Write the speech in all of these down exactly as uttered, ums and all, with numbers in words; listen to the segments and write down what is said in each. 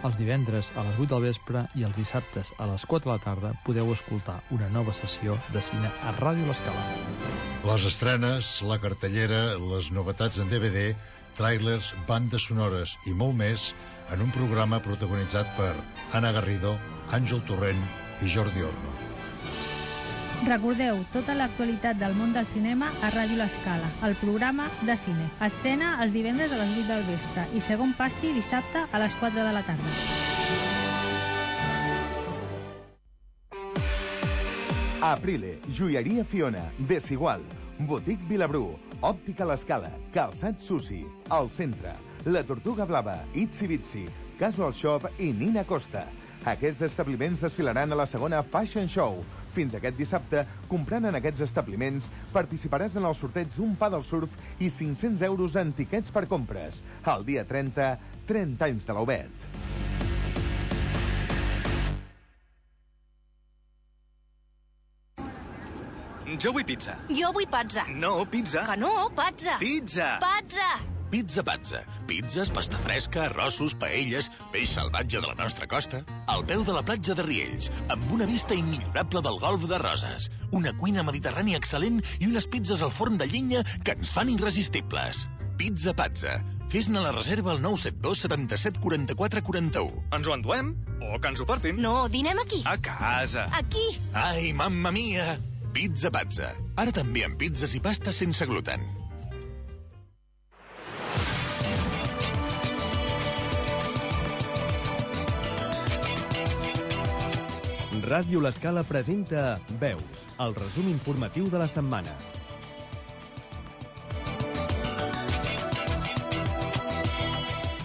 Els divendres a les vuit del vespre i els dissabtes a les quatre de la tarda podeu escoltar una nova sessió de cine a Ràdio L'Escala. Les estrenes, la cartellera, les novetats en D V D, tràilers, bandes sonores i molt més en un programa protagonitzat per Anna Garrido, Àngel Torrent i Jordi Orno. Recordeu tota l'actualitat del món del cinema a Ràdio L'Escala, el programa de cine. Estrena els divendres a les vuit del vespre i segon passi dissabte a les quatre de la tarda. Aprile, joieria Fiona, Desigual, Botic Vilabrú, Òptica L'Escala, Calçat Susi, El Centre, La Tortuga Blava, Itsy Bitsy, Casual Shop i Nina Costa. Aquests establiments desfilaran a la segona Fashion Show. Fins aquest dissabte, comprant en aquests establiments, participaràs en el sorteig d'un pa del surf i cinc-cents euros en tiquets per compres. El dia trenta, trenta anys de l'Obert. Jo vull pizza. Jo vull pazza. No, pizza. Que no, pazza. Pizza. Pazza. Pizza Pazza. Pizzas, pasta fresca, arrossos, paelles, peix salvatge de la nostra costa, al peu de la platja de Riells, amb una vista immillorable del golf de Roses, una cuina mediterrània excel·lent i unes pizzas al forn de llenya que ens fan irresistibles. Pizza Pazza. Fes-ne la reserva al nou set dos setanta-set quaranta-quatre quaranta-u. Ens ho enduem? O que ens ho portin? No, dinem aquí. A casa. Aquí. Ai, mamma mia! Pizza Pazza. Ara també amb pizzas i pastes sense gluten. Ràdio L'Escala presenta Veus, el resum informatiu de la setmana.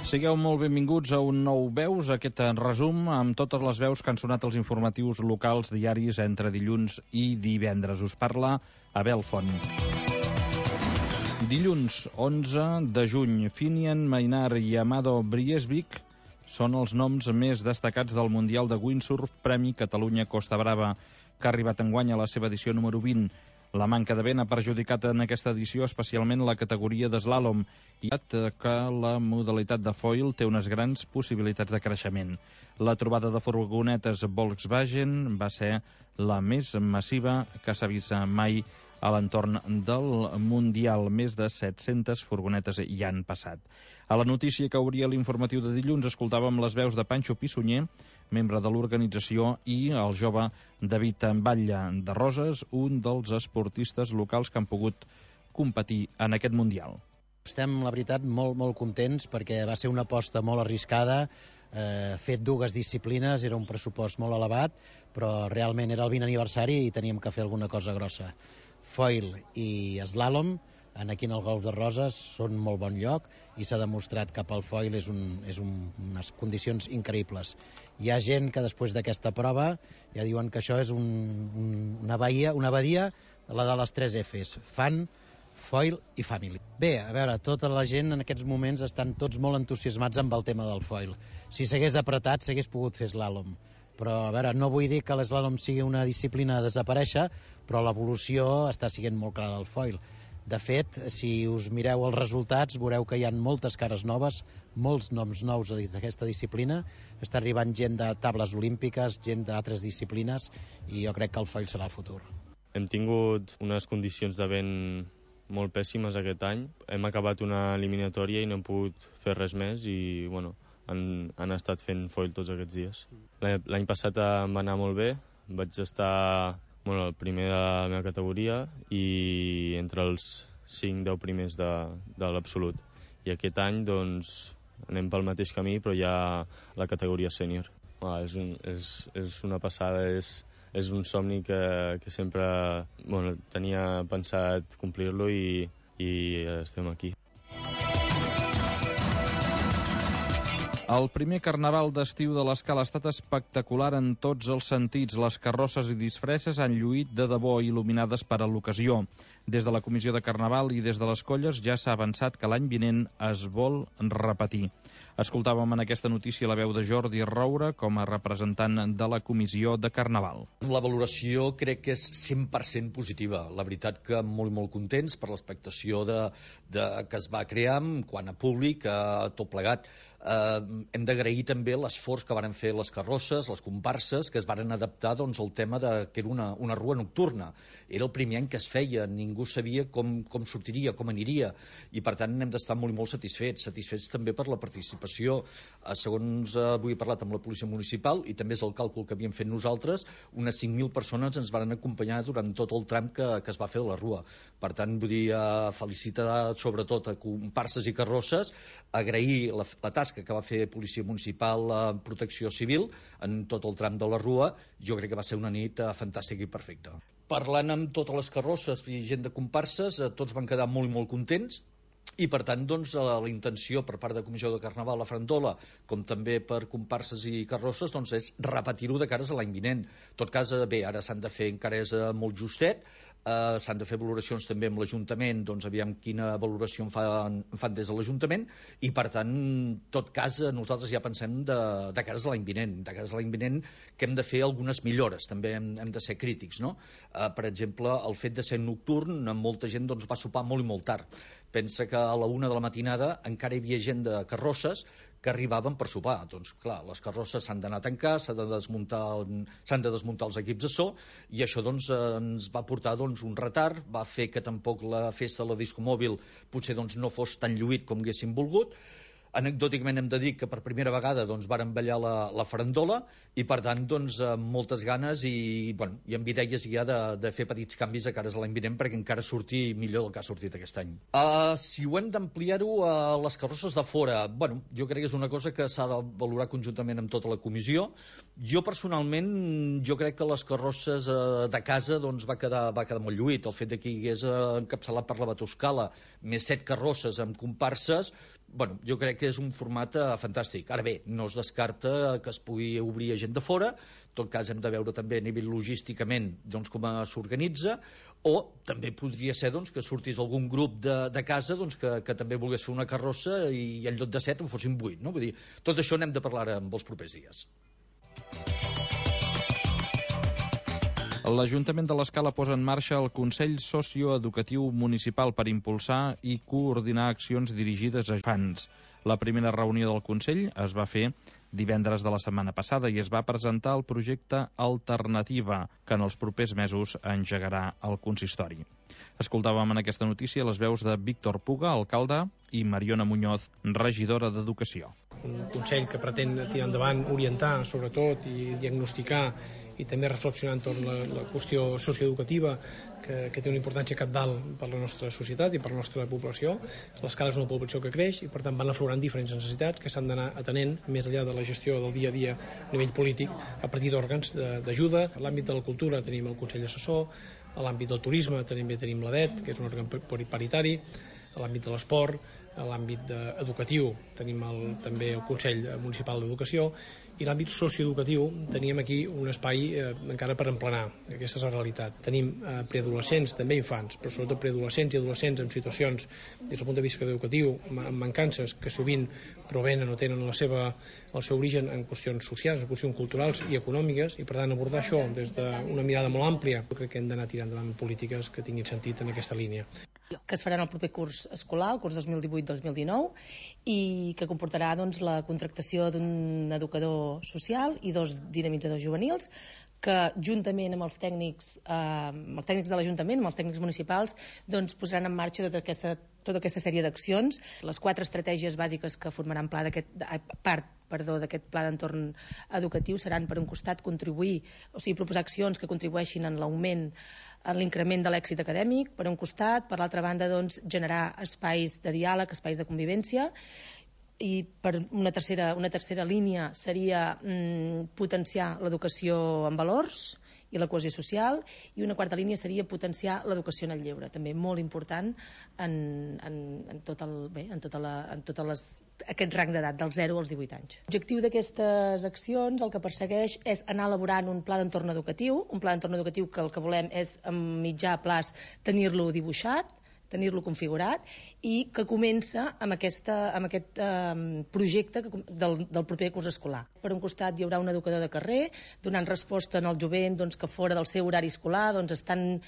Sigueu molt benvinguts a un nou Veus, aquest resum amb totes les veus que han sonat els informatius locals diaris entre dilluns i divendres. Us parla Abel Font. Dilluns onze de juny, Finian, Maynard i Amado Briesvik són els noms més destacats del Mundial de Windsurf Premi Catalunya Costa Brava, que ha arribat enguany a la seva edició número vint. La manca de vent ha perjudicat en aquesta edició especialment la categoria d'eslàlom, i que la modalitat de foil té unes grans possibilitats de creixement. La trobada de furgonetes Volkswagen va ser la més massiva que s'ha vist mai a l'entorn del Mundial. Més de set-centes furgonetes hi han passat. A la notícia que obria l'informatiu de dilluns escoltàvem les veus de Pancho Pissunyer, membre de l'organització, i el jove David Batlle de Roses, un dels esportistes locals que han pogut competir en aquest Mundial. Estem, la veritat, molt, molt contents perquè va ser una aposta molt arriscada, eh, fet dues disciplines, era un pressupost molt elevat, però realment era el vint aniversari i teníem que fer alguna cosa grossa. Foil i eslàlom, aquí en el Golf de Roses, són molt bon lloc i s'ha demostrat que pel foil és, un, és un, unes condicions increïbles. Hi ha gent que després d'aquesta prova ja diuen que això és un, un, una, baia, una badia, la de les tres Fs, fan, foil i family. Bé, a veure, tota la gent en aquests moments estan tots molt entusiasmats amb el tema del foil. Si s'hagués apretat, s'hagués pogut fer eslàlom. Però, a veure, no vull dir que l'eslàlom sigui una disciplina a desaparèixer, però l'evolució està sent molt clara al foil. De fet, si us mireu els resultats, veureu que hi ha moltes cares noves, molts noms nous d'aquesta disciplina. Està arribant gent de tables olímpiques, gent d'altres disciplines, i jo crec que el foil serà el futur. Hem tingut unes condicions de vent molt pèssimes aquest any. Hem acabat una eliminatòria i no hem pogut fer res més i, bueno, han, han estat fent foil tots aquests dies. L'any passat em va anar molt bé, vaig estar bueno, el primer de la meva categoria i entre els cinc deu primers de, de l'absolut. I aquest any, doncs, anem pel mateix camí, però ja a la categoria sènior. Ah, és, un, és, és una passada, és, és un somni que, que sempre bueno, tenia pensat complir-lo i, i estem aquí. El primer carnaval d'estiu de l'Escala ha estat espectacular en tots els sentits. Les carrosses i disfresses han lluït de debò, il·luminades per a l'ocasió. Des de la comissió de carnaval i des de les colles ja s'ha avançat que l'any vinent es vol repetir. Escoltàvem en aquesta notícia la veu de Jordi Roura com a representant de la Comissió de Carnaval. La valoració crec que és cent per cent positiva. La veritat que molt, molt contents per l'expectació de, de, que es va crear quant a públic, a tot plegat. Eh, hem d'agrair també l'esforç que varen fer les carrosses, les comparses, que es varen adaptar doncs, al tema de que era una, una rua nocturna. Era el primer any que es feia, ningú sabia com, com sortiria, com aniria, i per tant hem d'estar molt i molt satisfets, satisfets també per la participació. Eh, segons eh, avui he parlat amb la policia municipal, i també és el càlcul que havíem fet nosaltres, unes cinc mil persones ens varen acompanyar durant tot el tram que, que es va fer de la rua. Per tant, vull dir, eh, felicitar sobretot a comparses i carrosses, agrair la, la tasca que va fer Policia Municipal, eh, Protecció Civil, en tot el tram de la rua. Jo crec que va ser una nit eh, fantàstica i perfecta. Parlant amb totes les carrosses i gent de comparses, eh, tots van quedar molt i molt contents, i per tant doncs, la intenció per part de Comissió de Carnaval, la Farandola, com també per comparses i carrosses, doncs, és repetir-ho de cares a l'any vinent. En tot cas, bé, ara s'han de fer, encara és molt justet, eh, s'han de fer valoracions també amb l'Ajuntament, doncs aviam quina valoració en fan, en fan des de l'Ajuntament, i per tant, en tot cas, nosaltres ja pensem de, de cares a l'any vinent, de cares a l'any vinent que hem de fer algunes millores, també hem, hem de ser crítics, no? Eh, per exemple, el fet de ser nocturn, molta gent doncs, va sopar molt i molt tard. Pensa que a la una de la matinada encara hi havia gent de carrosses que arribaven per sopar. Doncs clar, les carrosses s'han d'anar a tancar, s'han de desmuntar, s'han de desmuntar els equips de so, i això doncs, ens va portar doncs, un retard, va fer que tampoc la festa de la disco mòbil potser doncs, no fos tan lluït com haguéssim volgut. Anecdòticament hem de dir que per primera vegada doncs, varen ballar la, la farandola, i per tant doncs, amb moltes ganes i, bueno, i amb idees ja de, de fer petits canvis a cares a l'any vinent perquè encara surti millor del que ha sortit aquest any. Uh, si ho hem d'ampliar-ho a les carrosses de fora, bueno, jo crec que és una cosa que s'ha de valorar conjuntament amb tota la comissió. Jo personalment, jo crec que les carrosses uh, de casa doncs, va, quedar, va quedar molt lluït. El fet de que hi hagués uh, encapçalat per la Batoscala més set carrosses amb comparses, bueno, jo crec que és un format uh, fantàstic. Ara bé, no es descarta que es pugui obrir a gent de fora, en tot cas hem de veure també a nivell logísticament doncs, com s'organitza, o també podria ser doncs, que sortís algun grup de, de casa doncs, que, que també volgués fer una carrossa i en lloc de set en fossin vuit. No? Vull dir, tot això n'hem de parlar en els propers dies. L'Ajuntament de l'Escala posa en marxa el Consell Socioeducatiu Municipal per impulsar i coordinar accions dirigides a infants. La primera reunió del Consell es va fer divendres de la setmana passada i es va presentar el projecte Alternativa, que en els propers mesos engegarà el consistori. Escoltàvem en aquesta notícia les veus de Víctor Puga, alcalde, i Mariona Muñoz, regidora d'Educació. Un Consell que pretén tirar endavant, orientar, sobretot, i diagnosticar i també reflexionar entorn la, la qüestió socioeducativa que, que té una importància capdalt per la nostra societat i per la nostra població. L'Escala és una població que creix i per tant van aflorant diferents necessitats que s'han d'anar atenent més enllà de la gestió del dia a dia a nivell polític a partir d'òrgans d'ajuda. A l'àmbit de la cultura tenim el Consell Assessor, a l'àmbit del turisme també tenim l'A D E T, que és un òrgan paritari, a l'àmbit de l'esport, a l'àmbit educatiu tenim el, també el Consell Municipal d'Educació, i l'àmbit socioeducatiu teníem aquí un espai eh, encara per emplenar. Aquesta és la realitat. Tenim eh, preadolescents, també infants, però sobretot preadolescents i adolescents en situacions des del punt de vista educatiu amb mancances que sovint provenen o tenen la seva, el seu origen en qüestions socials, en qüestions culturals i econòmiques, i per tant abordar això des d'una mirada molt àmplia. Jo crec que hem d'anar tirant endavant polítiques que tinguin sentit en aquesta línia. Que es faran el proper curs escolar, el curs dos mil divuit dos mil dinou, i que comportarà doncs, la contractació d'un educador social i dos dinamitzadors juvenils que juntament amb els tècnics, eh, amb els tècnics de l'Ajuntament, amb els tècnics municipals, doncs, posaran en marxa tota aquesta, tota aquesta sèrie d'accions. Les quatre estratègies bàsiques que formaran pla d'aquest, part perdó, d'aquest pla d'entorn educatiu seran, per un costat, contribuir, o sigui, proposar accions que contribueixin en l'augment, en l'increment de l'èxit acadèmic, per un costat, per l'altra banda, doncs, generar espais de diàleg, espais de convivència, i per una tercera, una tercera línia seria mm, potenciar l'educació en valors i la cohesió social, i una quarta línia seria potenciar l'educació en el lleure, també molt important en, en, en tot, el, bé, en tota la, en tota les, aquest rang d'edat, dels zero als divuit anys. L'objectiu d'aquestes accions el que persegueix és anar elaborant un pla d'entorn educatiu, un pla d'entorn educatiu que el que volem és, a mitjà plaç, tenir-lo dibuixat, tenir-lo configurat, i que comença amb, aquesta, amb aquest eh, projecte que, del, del proper curs escolar. Per un costat hi haurà un educador de carrer donant resposta al jovent doncs, que fora del seu horari escolar doncs, estan,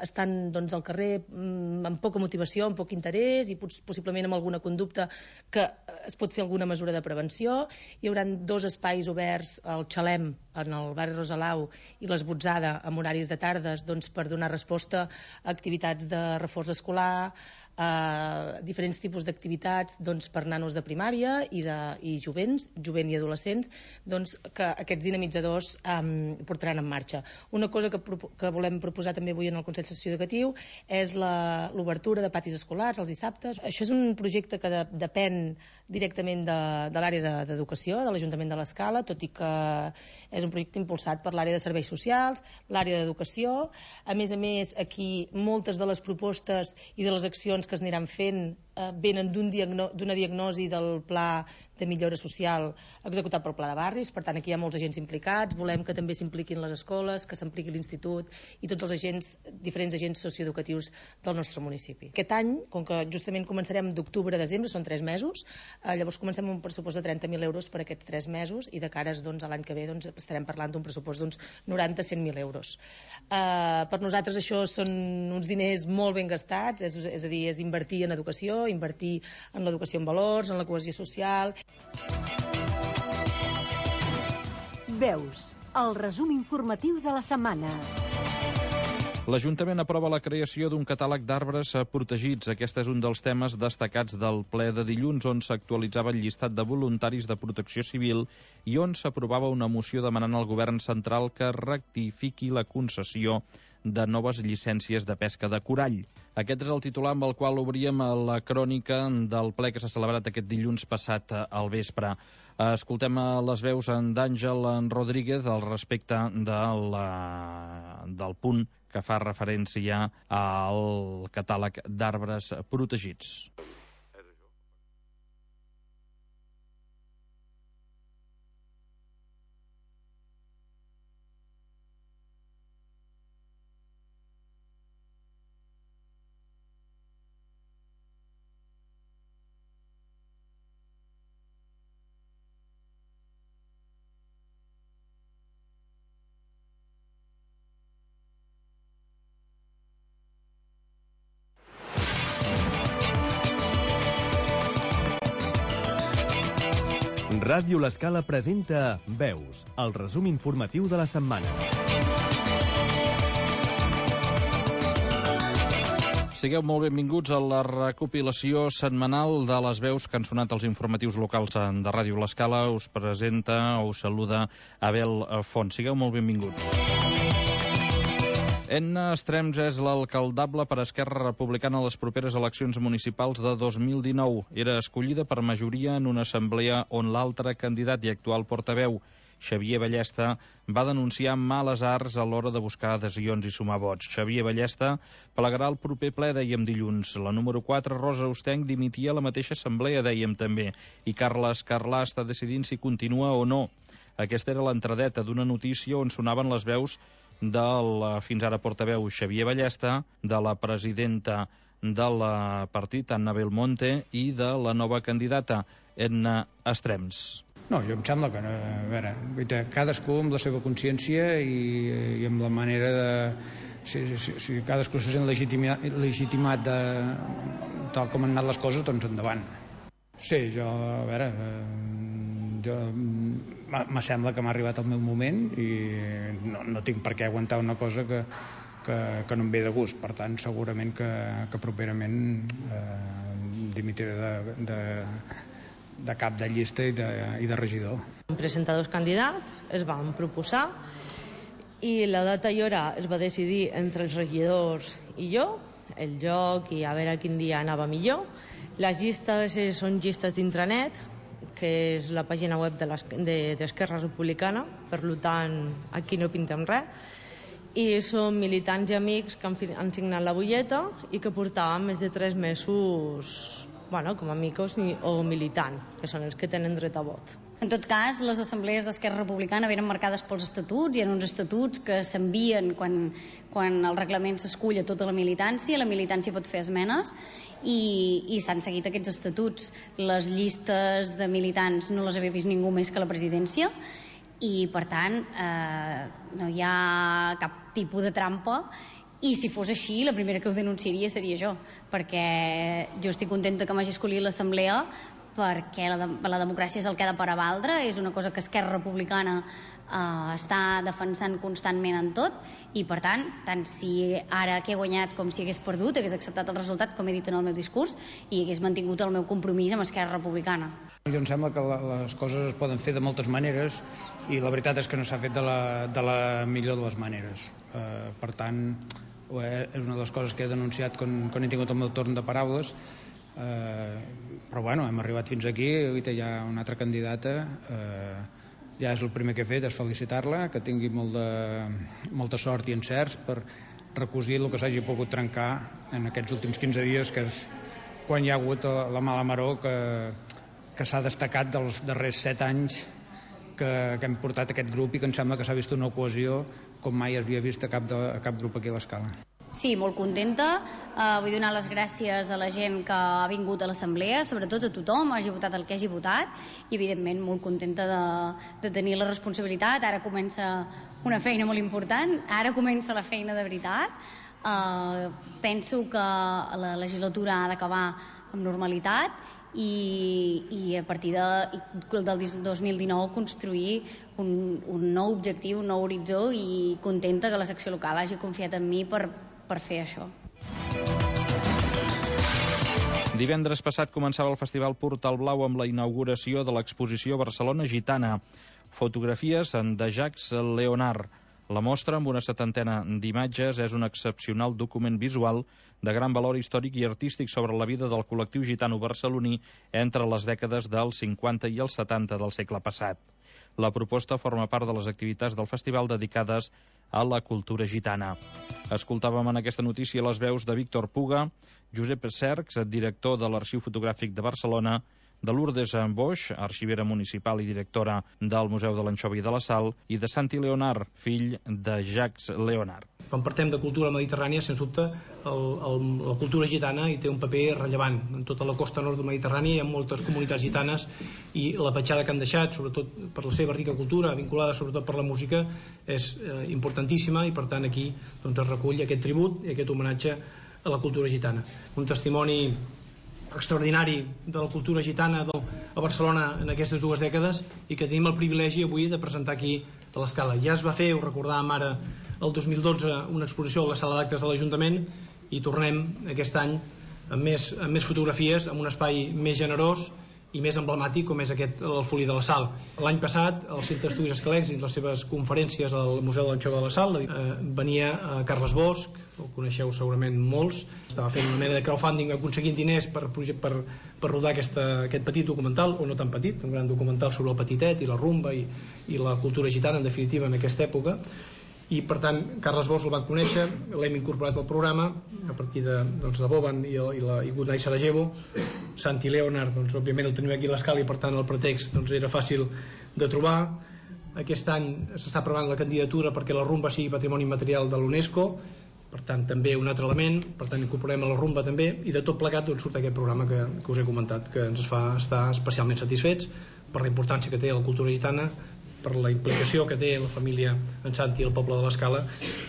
estan doncs, al carrer amb poca motivació, amb poc interès i possiblement amb alguna conducta que es pot fer alguna mesura de prevenció. Hi haurà dos espais oberts, el Xalem en el barri Rosalau i l'Esbotzada amb horaris de tardes doncs, per donar resposta a activitats de reforç escolar, a diferents tipus d'activitats doncs, per nanos de primària i, de, i jovents, jovent i adolescents, doncs, que aquests dinamitzadors um, portaran en marxa. Una cosa que, que volem proposar també avui en el Consell Associatiu Educatiu és l'obertura de patis escolars els dissabtes. Això és un projecte que de, depèn directament de, de l'àrea d'educació, de l'Ajuntament de l'Escala, tot i que és un projecte impulsat per l'àrea de serveis socials, l'àrea d'educació. A més a més, aquí moltes de les propostes i de les accions que es aniran fent eh, venen d'una diagno diagnosi del pla de millora social executat pel Pla de Barris. Per tant, aquí hi ha molts agents implicats. Volem que també s'impliquin les escoles, que s'impliqui l'Institut i tots els agents, diferents agents socioeducatius del nostre municipi. Aquest any, com que justament començarem d'octubre a desembre, són tres mesos, eh, llavors comencem amb un pressupost de trenta mil euros per aquests tres mesos i de cares doncs, a l'any que ve doncs, estarem parlant d'un pressupost d'uns noranta a cent mil euros. Eh, per nosaltres això són uns diners molt ben gastats, és, és a dir, és invertir en educació, invertir en l'educació en valors, en la cohesió social. Veus, el resum informatiu de la setmana. L'Ajuntament aprova la creació d'un catàleg d'arbres protegits. Aquest és un dels temes destacats del ple de dilluns, on s'actualitzava el llistat de voluntaris de protecció civil i on s'aprovava una moció demanant al govern central que rectifiqui la concessió de noves llicències de pesca de corall. Aquest és el titular amb el qual obríem la crònica del ple que s'ha celebrat aquest dilluns passat al vespre. Escoltem les veus d'Àngel Rodríguez al respecte de la, del punt que fa referència al catàleg d'arbres protegits. Ràdio L'Escala presenta Veus, el resum informatiu de la setmana. Sigueu molt benvinguts a la recopilació setmanal de les veus que han sonat als informatius locals de Ràdio L'Escala. Us presenta o us saluda Abel Font. Sigueu molt benvinguts. Edna Estrems és l'alcaldable per Esquerra Republicana a les properes eleccions municipals de dos mil dinou. Era escollida per majoria en una assemblea on l'altre candidat i actual portaveu, Xavier Ballesta, va denunciar males arts a l'hora de buscar adhesions i sumar vots. Xavier Ballesta plegarà el proper ple, dèiem dilluns. La número quatre, Rosa Ostenc, dimitia a la mateixa assemblea, dèiem també. I Carles Carlà està decidint si continua o no. Aquesta era l'entradeta d'una notícia on sonaven les veus del fins ara portaveu Xavier Ballesta, de la presidenta del partit, Anna Belmonte, i de la nova candidata, Edna Estrems. No, jo em sembla que no, a veure, cadascú amb la seva consciència i, i amb la manera de... Si, si, si cadascú se sent legitimat, legitimat de, tal com han anat les coses, doncs endavant. Sí, jo, a veure, jo, me sembla que m'ha arribat el meu moment i no, no tinc per què aguantar una cosa que, que, que no em ve de gust. Per tant, segurament que, que properament eh, dimitiré de, de, de cap de llista i de, i de regidor. Vam presentar dos candidats, es van proposar i la data i hora es va decidir entre els regidors i jo, el joc i a veure quin dia anava millor. Les llistes són llistes d'intranet, que és la pàgina web de d'Esquerra Republicana, per tant aquí no pintem res, i són militants i amics que han, han signat la butlleta i que portaven més de tres mesos bueno, com a amics o militants, que són els que tenen dret a vot. En tot cas, les assemblees d'Esquerra Republicana venen marcades pels estatuts, hi ha uns estatuts que s'envien quan, quan el reglament s'escull a tota la militància, la militància pot fer esmenes i, i s'han seguit aquests estatuts. Les llistes de militants no les havia vist ningú més que la presidència i, per tant, eh, no hi ha cap tipus de trampa. I si fos així, la primera que ho denunciaria seria jo, perquè jo estic contenta que m'hagi escollit l'assemblea, perquè la, de, la democràcia és el que ha de paravaldre, és una cosa que Esquerra Republicana eh, està defensant constantment en tot, i per tant, tant si ara que he guanyat com si hagués perdut, hagués acceptat el resultat, com he dit en el meu discurs, i hagués mantingut el meu compromís amb Esquerra Republicana. Jo em sembla que la, les coses es poden fer de moltes maneres i la veritat és que no s'ha fet de la, de la millor de les maneres. Eh, per tant, és una de les coses que he denunciat quan, quan he tingut el meu torn de paraules, eh, però bueno, hem arribat fins aquí, hi ha una altra candidata, eh, ja és el primer que he fet, és felicitar-la, que tingui molt de, molta sort i encerts per recosir el que s'hagi pogut trencar en aquests últims quinze dies, que és quan hi ha hagut la mala maror que, que s'ha destacat dels darrers set anys que, que hem portat aquest grup i que em sembla que s'ha vist una cohesió com mai havia vist a cap, de, a cap grup aquí a l'Escala. Sí, molt contenta. Uh, vull donar les gràcies a la gent que ha vingut a l'assemblea, sobretot a tothom, hagi votat el que hagi votat, i evidentment molt contenta de, de tenir la responsabilitat. Ara comença una feina molt important, ara comença la feina de veritat. Uh, penso que la legislatura ha d'acabar amb normalitat i, i a partir de, del dos mil dinou construir un, un nou objectiu, un nou horitzó, i contenta que la secció local hagi confiat en mi per, per fer això. Divendres passat començava el Festival Portal Blau amb la inauguració de l'exposició Barcelona Gitana. Fotografies de Jacques Leonard. La mostra, amb una setantena d'imatges, és un excepcional document visual de gran valor històric i artístic sobre la vida del col·lectiu gitano barceloní entre les dècades dels cinquanta i els setanta del segle passat. La proposta forma part de les activitats del festival dedicades a la cultura gitana. Escoltàvem en aquesta notícia les veus de Víctor Puga, Josep Cercs, director de l'Arxiu Fotogràfic de Barcelona, de Lourdes Boix, arxivera municipal i directora del Museu de l'Anxova i de la Sal, i de Santi Leonard, fill de Jacques Leonard. Quan partem de cultura mediterrània, sens dubte, el, el, la cultura gitana hi té un paper rellevant. En tota la costa nord del Mediterrani hi ha moltes comunitats gitanes i la petjada que han deixat, sobretot per la seva rica cultura, vinculada sobretot per la música, és eh, importantíssima, i per tant aquí doncs, es recull aquest tribut i aquest homenatge a la cultura gitana. Un testimoni extraordinari de la cultura gitana a Barcelona en aquestes dues dècades i que tenim el privilegi avui de presentar aquí a l'Escala. Ja es va fer, ho recordàvem ara, el dos mil dotze, una exposició a la sala d'actes de l'Ajuntament, i tornem aquest any amb més, amb més fotografies, amb un espai més generós i més emblemàtic com és aquest, el Folí de la Sal. L'any passat, al Centre d'Estudis Escalencs, dins les seves conferències al Museu de l'Anxova de la Sal, eh, venia eh, Carles Bosch, el coneixeu segurament molts, estava fent una mena de crowdfunding aconseguint diners per, per, per rodar aquesta, aquest petit documental, o no tan petit, un gran documental sobre el petitet i la rumba i, i la cultura gitana, en definitiva, en aquesta època. I per tant Carles Bosch el van conèixer, l'hem incorporat al programa a partir de, doncs, de Boban i, i, la, i Good Night Sarajevo. Santi Leonard, doncs, òbviament el tenim aquí a l'Escala i per tant el pretext doncs, era fàcil de trobar. Aquest any s'està aprovant la candidatura perquè la rumba sigui patrimoni immaterial de l'UNESCO, per tant també un altre element, per tant incorporem a la rumba també, i de tot plegat doncs, surt aquest programa que, que us he comentat, que ens fa estar especialment satisfets per la importància que té la cultura gitana, per la implicació que té la família en Santi i el poble de l'Escala.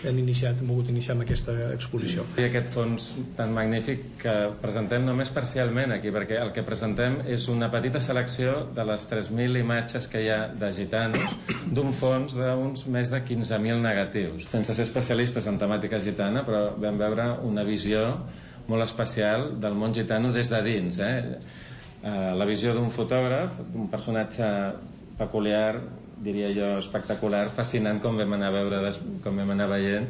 Hem iniciat, hem volgut iniciar amb aquesta exposició. I aquest fons tan magnífic que presentem només parcialment aquí, perquè el que presentem és una petita selecció de les tres mil imatges que hi ha de gitanos d'un fons d'uns més de quinze mil negatius. Sense ser especialistes en temàtica gitana, però vam veure una visió molt especial del món gitano des de dins. Eh? La visió d'un fotògraf, d'un personatge peculiar, diria jo espectacular, fascinant, com vam anar a veure, com vam anar veient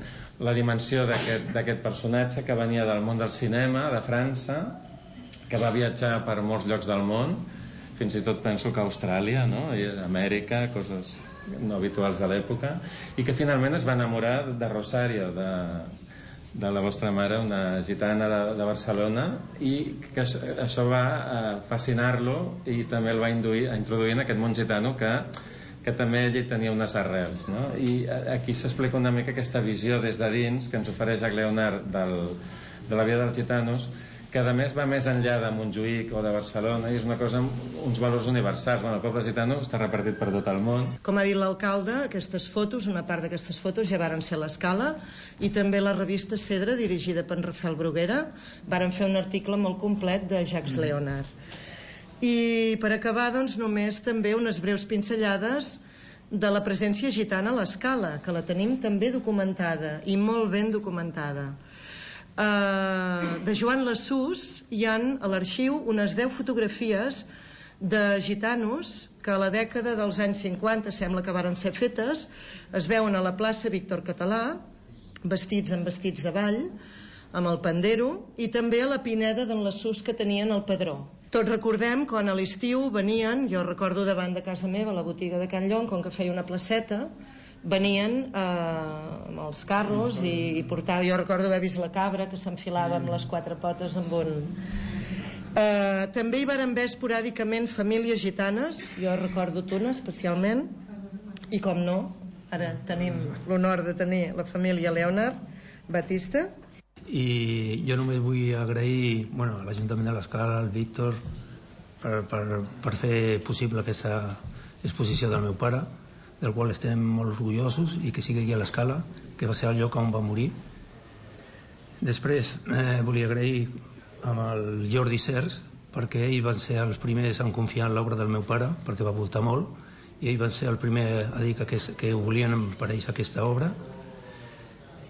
la dimensió d'aquest personatge que venia del món del cinema, de França, que va viatjar per molts llocs del món, fins i tot penso que Austràlia, no? I Amèrica, coses no habituals de l'època, i que finalment es va enamorar de Rosario, de, de la vostra mare, una gitana de, de Barcelona, i que això, això va eh, fascinar-lo i també el va induir a introduir en aquest món gitano que, que també ell hi tenia unes arrels, no? I aquí s'explica una mica aquesta visió des de dins que ens ofereix Jacques Leonard del, de la vida dels gitanos, que a més va més enllà de Montjuïc o de Barcelona i és una cosa amb uns valors universals. Bueno, el poble gitano està repartit per tot el món. Com ha dit l'alcalde, aquestes fotos, una part d'aquestes fotos ja varen ser a l'Escala, i també la revista Cedre, dirigida per Rafael Bruguera, varen fer un article molt complet de Jacques Leonard. I per acabar, doncs, només també unes breus pinzellades de la presència gitana a l'Escala, que la tenim també documentada, i molt ben documentada. Uh, de Joan Lassús hi han a l'arxiu unes deu fotografies de gitanos que a la dècada dels anys cinquanta sembla que varen ser fetes, es veuen a la plaça Víctor Català vestits amb vestits de ball, amb el pandero, i també a la Pineda d'en Lassús que tenien el padró. Tots recordem quan a l'estiu venien, jo recordo davant de casa meva a la botiga de Can Llong, com que feia una placeta, venien eh, amb els carros i, i portava, jo recordo haver vist la cabra que s'enfilava amb les quatre potes amb un... Eh, també hi varen haver esporàdicament famílies gitanes, jo recordo una especialment, i com no, ara tenim l'honor de tenir la família Leonard Batista. I jo només vull agrair bueno, a l'Ajuntament de l'Escala, al Víctor, per, per, per fer possible aquesta exposició del meu pare, del qual estem molt orgullosos, i que sigui aquí a l'Escala, que va ser el lloc on va morir. Després eh, volia agrair amb el Jordi Sers, perquè ells van ser els primers en confiar en l'obra del meu pare, perquè va voltar molt, i ells van ser el primer a dir que, que volien per ells aquesta obra.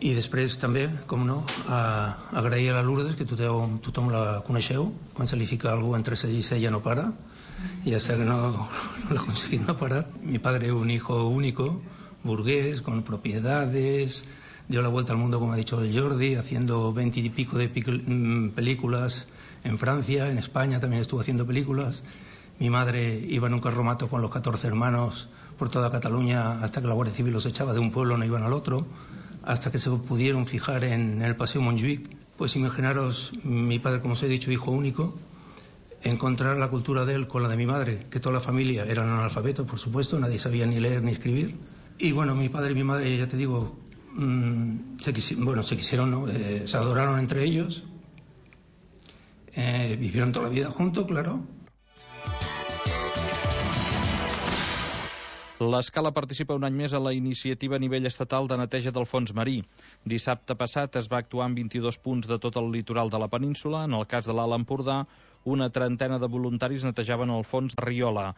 I després també, com no, a, a agrair a la Lourdes, que tothom, tothom la coneixeu, quan se li fica algú entre cella i cella no para, y hasta que no, no lo ha conseguido no parar. Mi padre, un hijo único, burgués, con propiedades, dio la vuelta al mundo, como ha dicho el Jordi, haciendo veinte y pico de películas en Francia, en España también estuvo haciendo películas. Mi madre iba en un carromato con los catorce hermanos por toda Cataluña hasta que la Guardia Civil los echaba de un pueblo, no iban al otro, hasta que se pudieron fijar en el Paseo Montjuïc. Pues imaginaros, mi padre, como os he dicho, hijo único, encontrar la cultura de él con la de mi madre, que toda la familia eran analfabetos, por supuesto, nadie sabía ni leer ni escribir. Y bueno, mi padre y mi madre, ya te digo, mmm, se, quisi bueno, se quisieron, ¿no? eh, se adoraron entre ellos, eh, vivieron toda la vida juntos, claro. L'Escala participa un any més a la iniciativa a nivell estatal de neteja del fons marí. Dissabte passat es va actuar en vint-i-dos punts de tot el litoral de la península. En el cas de l'Alt Empordà, una trentena de voluntaris netejaven el fons de Riola.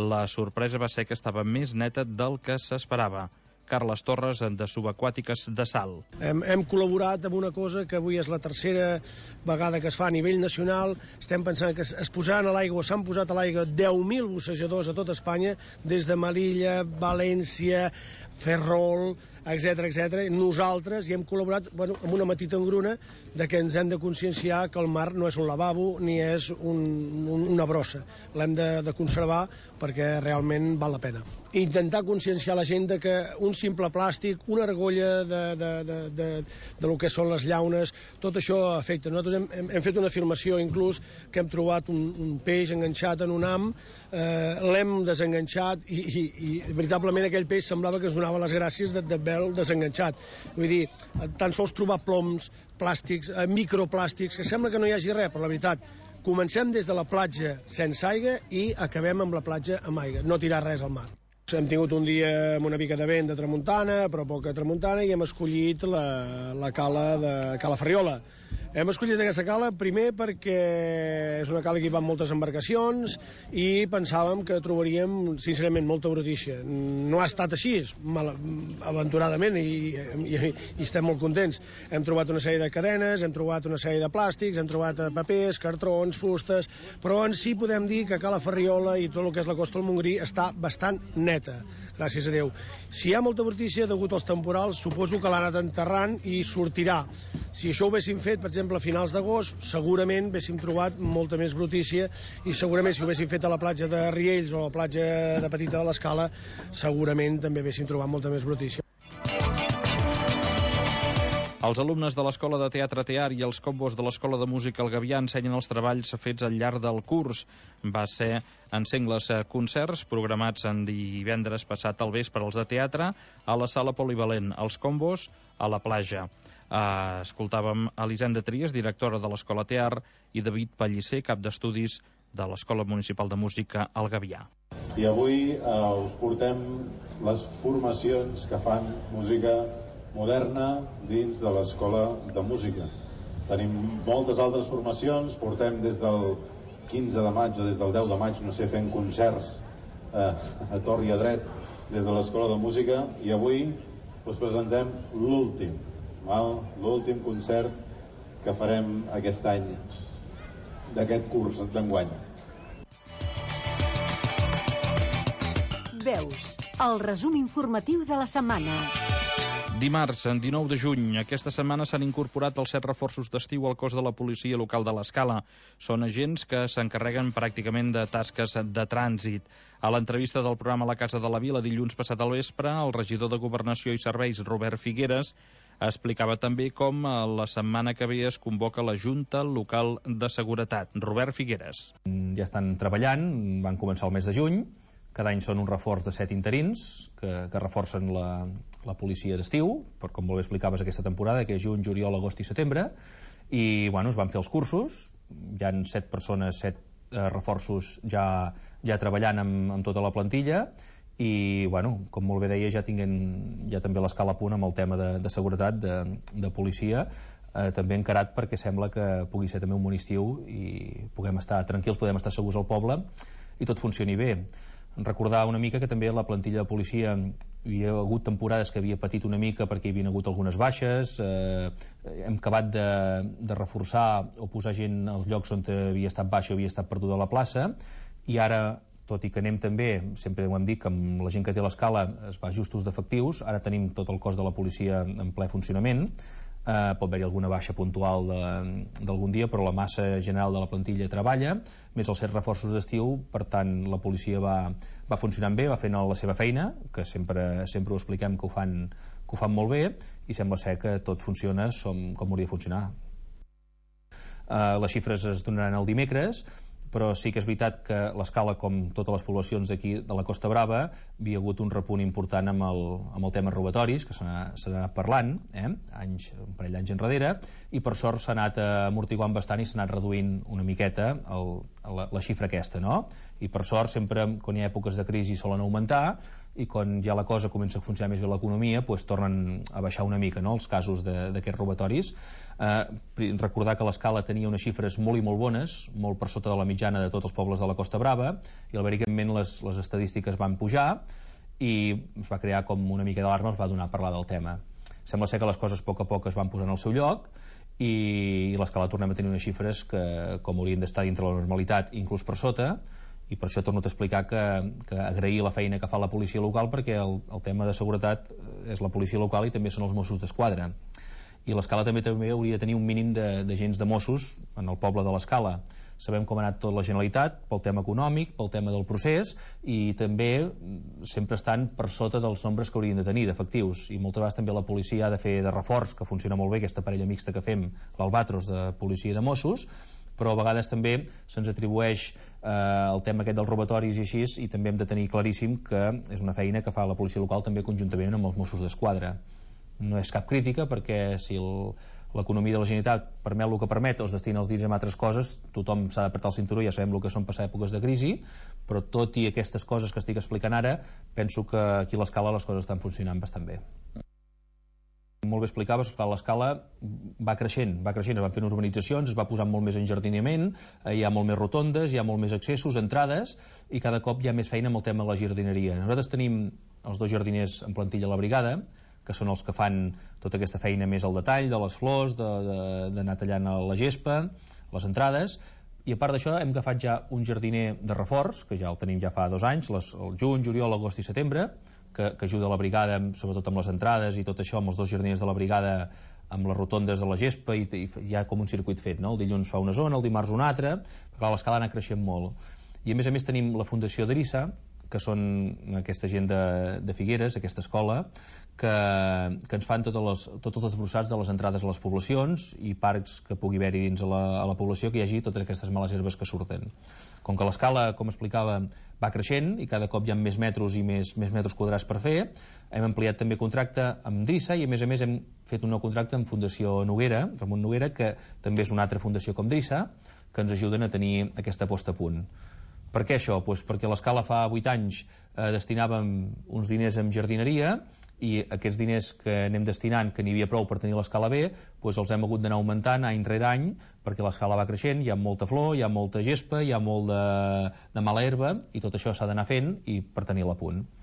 La sorpresa va ser que estava més neta del que s'esperava. Carles Torres, de Subaquàtiques de Sal. Hem, hem col·laborat amb una cosa que avui és la tercera vegada que es fa a nivell nacional. Estem pensant que es, es posaran a l'aigua, s'han posat a l'aigua deu mil bussejadors a tot Espanya, des de Melilla, València, Ferrol, etcètera, etcètera. Nosaltres hi hem col·laborat bueno, amb una petita engruna de que ens hem de conscienciar que el mar no és un lavabo ni és un, un, una brossa. L'hem de, de conservar perquè realment val la pena. Intentar conscienciar la gent de que un simple plàstic, una argolla de, de, de, de, de lo que són les llaunes, tot això afecta. Nosaltres hem, hem, hem fet una afirmació inclús que hem trobat un, un peix enganxat en un ham, eh, l'hem desenganxat i, i, i veritablement aquell peix semblava que ens donava les gràcies d'haver-lo desenganxat. Vull dir, tan sols trobar ploms, plàstics, eh, microplàstics, que sembla que no hi hagi res, però la veritat, comencem des de la platja sense aigua i acabem amb la platja amb aigua, no tirar res al mar. Hem tingut un dia amb una mica de vent de tramuntana, però poca tramuntana, i hem escollit la, la cala de Cala Ferriola. Hem escollit aquesta cala primer perquè és una cala que hi van moltes embarcacions i pensàvem que trobaríem, sincerament, molta brutícia. No ha estat així, mal, aventuradament, i, i, i estem molt contents. Hem trobat una sèrie de cadenes, hem trobat una sèrie de plàstics, hem trobat papers, cartrons, fustes, però en si podem dir que Cala Ferriola i tot el que és la costa del Montgrí està bastant neta, gràcies a Déu. Si hi ha molta brutícia degut als temporals, suposo que l'han anat enterrant i sortirà. Si això ho haguéssim fet, per exemple, a finals d'agost, segurament haguéssim trobat molta més brutícia, i segurament si ho haguéssim fet a la platja de Riells o a la platja de Petita de l'Escala, segurament també haguéssim trobat molta més brutícia. Els alumnes de l'Escola de Teatre Tear i els combos de l'Escola de Música El Gavià ensenyen els treballs fets al llarg del curs. Va ser en sengles concerts programats en divendres passat al vespre als de teatre a la sala polivalent, els combos a la platja. Uh, escoltàvem Elisenda Trias, directora de l'Escola Tear, i David Pellicer, cap d'estudis de l'Escola Municipal de Música El Gavià. I avui uh, us portem les formacions que fan música moderna dins de l'Escola de Música. Tenim moltes altres formacions, portem des del quinze de maig o des del deu de maig, no sé, fent concerts eh, a tor i a dret des de l'Escola de Música, i avui us presentem l'últim, l'últim concert que farem aquest any d'aquest curs d'enguany. Veus, el resum informatiu de la setmana. Dimarts, dinou de juny, aquesta setmana s'han incorporat els set reforços d'estiu al cos de la policia local de l'Escala. Són agents que s'encarreguen pràcticament de tasques de trànsit. A l'entrevista del programa La Casa de la Vila dilluns passat al vespre, el regidor de Governació i Serveis, Robert Figueres, explicava també com la setmana que ve es convoca la Junta Local de Seguretat. Robert Figueres. Ja estan treballant, van començar el mes de juny. Cada any són un reforç de set interins que, que reforcen la, la policia d'estiu, per com molt bé explicaves aquesta temporada, que és juny, juliol, agost i setembre, i bueno, es van fer els cursos, hi han set persones, set eh, reforços ja, ja treballant amb, amb tota la plantilla, i bueno, com molt bé deia, ja tinguem ja també l'escala a punt amb el tema de, de seguretat, de, de policia, eh, també encarat perquè sembla que pugui ser també un bon estiu i puguem estar tranquils, podem estar segurs al poble i tot funcioni bé. Recordar una mica que també la plantilla de policia hi ha hagut temporades que havia patit una mica perquè hi havia hagut algunes baixes, eh, hem acabat de, de reforçar o posar gent als llocs on havia estat baixa o havia estat perduda a la plaça, i ara, tot i que anem també, sempre ho hem dit, que amb la gent que té l'escala es va justos d'efectius, ara tenim tot el cos de la policia en ple funcionament. Uh, pot haver-hi alguna baixa puntual d'algun dia, però la massa general de la plantilla treballa, més els set reforços d'estiu, per tant la policia va, va funcionant bé, va fent la seva feina, que sempre, sempre ho expliquem que ho, fan, que ho fan molt bé, i sembla ser que tot funciona com, com hauria de funcionar. Uh, les xifres es donaran el dimecres, però sí que és veritat que l'escala, com totes les poblacions d'aquí de la Costa Brava, havia hagut un repunt important amb el, amb el tema robatoris, que s'ha anat parlant, eh? anys, un parell d'anys enrere, i per sort s'ha anat amortiguant bastant i s'ha anat reduint una miqueta el, la, la xifra aquesta, no? I per sort, sempre quan hi ha èpoques de crisi solen augmentar, i quan ja la cosa comença a funcionar més bé l'economia, pues, tornen a baixar una mica, no?, els casos d'aquests robatoris. Eh, recordar que l'escala tenia unes xifres molt i molt bones, molt per sota de la mitjana de tots els pobles de la Costa Brava, i al evidentment les, les estadístiques van pujar i es va crear com una mica d'alarma, es va donar a parlar del tema. Sembla ser que les coses a poc a poc es van posar al seu lloc i, i l'escala tornem a tenir unes xifres que com haurien d'estar dintre la normalitat, inclús per sota, i per això torno a explicar que, que agrair la feina que fa la policia local, perquè el, el tema de seguretat és la policia local i també són els Mossos d'Esquadra. I l'escala també també hauria de tenir un mínim d'agents de, de Mossos en el poble de l'escala. Sabem com ha anat tot la Generalitat, pel tema econòmic, pel tema del procés, i també sempre estan per sota dels nombres que haurien de tenir d'efectius, i moltes vegades també la policia ha de fer de reforç, que funciona molt bé aquesta parella mixta que fem, l'Albatros de policia de Mossos, però a vegades també se'ns atribueix eh, el tema aquest dels robatoris i així, i també hem de tenir claríssim que és una feina que fa la policia local també conjuntament amb els Mossos d'Esquadra. No és cap crítica, perquè si l'economia de la Generalitat permet el que permet o es destina els diners a altres coses, tothom s'ha d'apretar el cinturó, ja sabem el que són passar èpoques de crisi, però tot i aquestes coses que estic explicant ara, penso que aquí a l'escala les coses estan funcionant bastant bé. Molt bé explicaves, l'escala va creixent, va creixent, es van fent urbanitzacions, es va posant molt més enjardinament, hi ha molt més rotondes, hi ha molt més accessos, entrades, i cada cop hi ha més feina amb el tema de la jardineria. Nosaltres tenim els dos jardiners en plantilla a la brigada, que són els que fan tota aquesta feina més al detall, de les flors, d'anar tallant la gespa, les entrades, i a part d'això hem agafat ja un jardiner de reforç, que ja el tenim ja fa dos anys, les, el juny, juliol, agost i setembre, que, que ajuda la brigada, sobretot amb les entrades i tot això, amb els dos jardiners de la brigada, amb les rotondes de la gespa, i, i hi ha com un circuit fet, no? El dilluns fa una zona, el dimarts una altra, però l'escala ha anat creixent molt. I a més a més tenim la Fundació d'Erissa, que són aquesta gent de, de Figueres, aquesta escola, que, que ens fan totes les, tots els desbrossats de les entrades a les poblacions i parcs que pugui haver-hi dins a la, a la població, que hi hagi totes aquestes males herbes que surten. Com que l'escala, com explicava, va creixent i cada cop hi ha més metres i més, més metres quadrats per fer, hem ampliat també contracte amb Drissa i a més a més hem fet un nou contracte amb Fundació Noguera, Ramon Noguera, que també és una altra fundació com Drissa, que ens ajuden a tenir aquesta posta a punt. Per què això? Pues perquè l'escala fa vuit anys eh, destinàvem uns diners en jardineria i aquests diners que anem destinant, que n'hi havia prou per tenir l'escala bé, doncs els hem hagut d'anar augmentant any rere any perquè l'escala va creixent, hi ha molta flor, hi ha molta gespa, hi ha molt de, de mala herba i tot això s'ha d'anar fent i per tenir-la a punt.